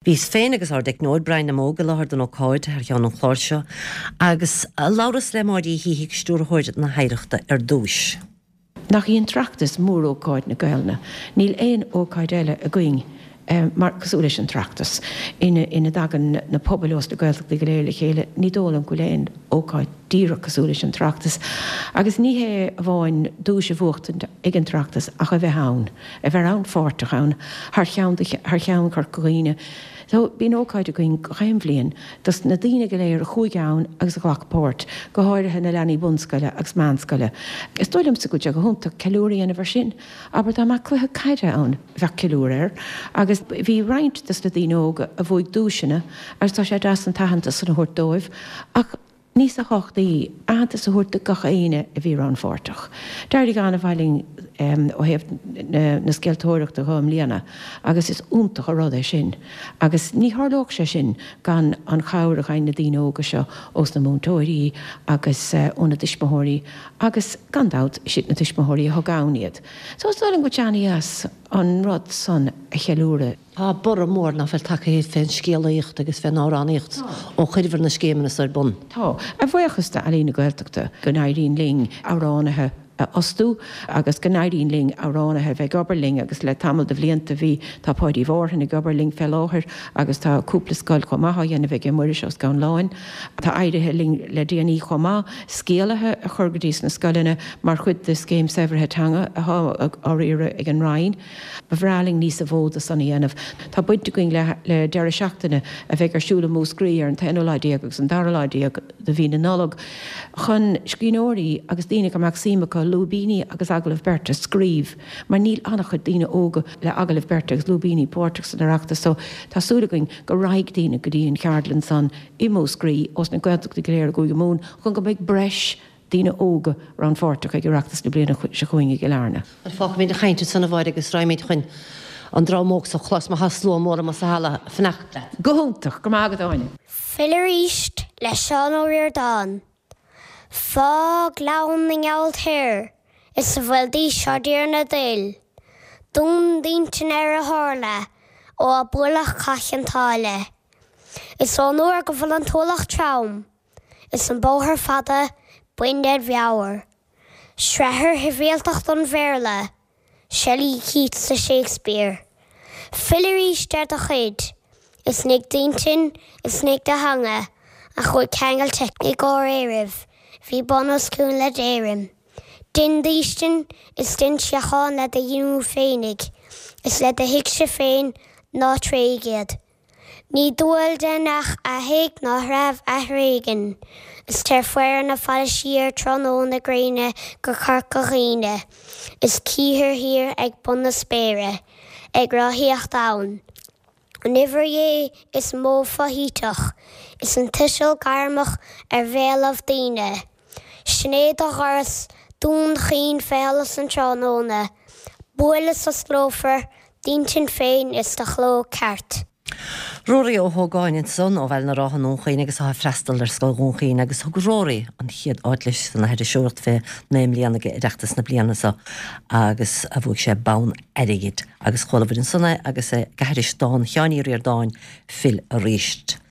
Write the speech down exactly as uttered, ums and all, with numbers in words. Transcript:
Bhíos féin agus ár dteicneoir Brian Óg i láthair don ócáid thar cheann an chláir seo, agus labhras le Máire Uí Shíthigh stiúrthóir na hOidhreachta ar dtús. Nach í an tOireachtas mórócáid na Gaelainne, níl aon ócáid eile againn mar cosúil leis an tOireachtas ina ina dtagann na pobail ós na Gaeltachtaí go léir le chéile, ní dóigh liom go bhfuil aon ócáid díreach cosúil leis an tOireachtas. Agus ní hé amháin duais a bhuachtaint ag an tOireachtas ach a bheith ann, a bheith rannpháirteach ann thar cheann thar cheann Chorca Dhuibhne. So bíonn ócáid againn gach aon bhliain dos na daoine go léir a chuaigh ann agus a ghlac páirt, go háirithe na leanaí bunscoile agus meánscoile. Is dóigh liomsa go bhfuil sé go hiontach ceiliúradh a dhéanamh air sin, abair dá mbeadh cluiche caide ann bheadh ceiliúradh air, agus bhí roinnt dos na daoine óga a bhuaigh duaiseanna agus tá sé deas an t-aitheantas san a thabhairt dóibh ach níos tábhachtaí aitheantas a thabhairt do gach éinne a bhí rannpháirteach. D'éirigh an-mhaith linn ó thaobh na scéaltóireachta dhá mbliana agus is iontach an rud é sin agus ní tharlódh sé sin gan an chabhair a gheibheann na daoine óga seo ós na múinteoirí agus ó na tuismitheoirí agus gan dabht siad na tuismitheoirí a thug ann iad. So is dóigh liom go bhfuil sé an-deas an rud san a cheiliúradh. Tá borradh mór nach bhfuil tagtha fén scéalaíocht agus fén amhránaíocht ó chuireamar na scéimeanna so ar bun. Tá, a bhuíochas d'Ealaín na Gaeltachta go n-éiríonn linn amhránaithe a fhostú agus go n-éiríonn linn amhránaithe a bheith ag obair linn agus le tamall de bhlianta bhí tá Páidí Mhárthain ag obair linn fé láthair agus tá cúpla scoil chomh maith á dhéanamh aige Muiris Ó Scanláin. Tá éirithe linn le déanaí chomh maith scéalaithe a chur go dtí sna scoileanna mar chuid de scéim saibhrithe teanga atá á riaradh ag an Roinn. Ba bhreá linn níos mó de san a dhéanamh. Tá baint againn le le deireadh seachtaine a bheidh ar siúl i Múscraí ar an t-aonú lá déag agus an dara lá déag de mhí na Nollag chun scríbhneoirí agus daoine go mbeadh suim acu lúibíní agus agallamh beirte a scríobh mar níl an-chuid daoine óga le agallamh beirte agus lúibíní páirteach san Oireachtas so tá súil againn go raghaidh daoine go dtí an cheardlann san i Múscraí ós na Gaeltachtaí go léir i gCúige Mumhan chun go mbeidh breis daoine óga rannpháirteach ag Oireachtas na bliana seo chugainn i gCill Airne. Bhuel, fágfaimid an chaint ansan a Mháire agus raghaimid chun an dream óg so a chlos mar tá slua mór amuigh sa halla ag fanacht leat. Go hiontach, go raibh maith agat Áine. Fill arís le Seán Ó Ríordáin. Fá Ghleann na nGealt thoir is a bhfuil d'aois ár dTiarna d'fhuil. Dún d'intinn ar a tharla ó a buaileadh Cath Chionn tSáile. Is ón uair go bhfuil an t-ualach trom is an bóthar fada bain ded mheabhair. Srathair shibhialtacht an Bhéarla, Shelley, Keats is Shakespeare. Fill arís ar do chuid, is nigh d'intinn is nigh do theanga a chuaigh ceangailte i gcomhréiribh bhí bun os cionn le d'Éirinn. Dein d'fhaoistin is dein síocháin le do dhíomú féinig is le do thuigse féin ná tréig iad. Ní dual d'each a thig ná threabh a thréigean, is tar faire na faille siar tráthnóna gréine go Corca Dhuibhne, is cíthear thiar ag bun na spéire, ag rothaíocht ann, an uimhir Dhé is mó foshuiteach, is an tuiseal gairmeach ar bhéalaibh daoine. Sin é do dhoras Dún Chaoin fé sholas an tráthnóna, buail is osclófar d'intinn féin is do chló ceart. Rory Ó hÓgáin ansan ó Bhaile na Rátha i nDún Chaoin agus atá ag freastal ar Scoil Dhún Chaoin agus thug Rory an chéad áit leis san aithriseoireacht fé naoi mbliana ag Oireachtas na bliana seo agus a bhuaigh sé bonn airgid agus chuala muid ansan é agus é ag aithris dán Sheáin Uí Ríordáin, Fill Arís.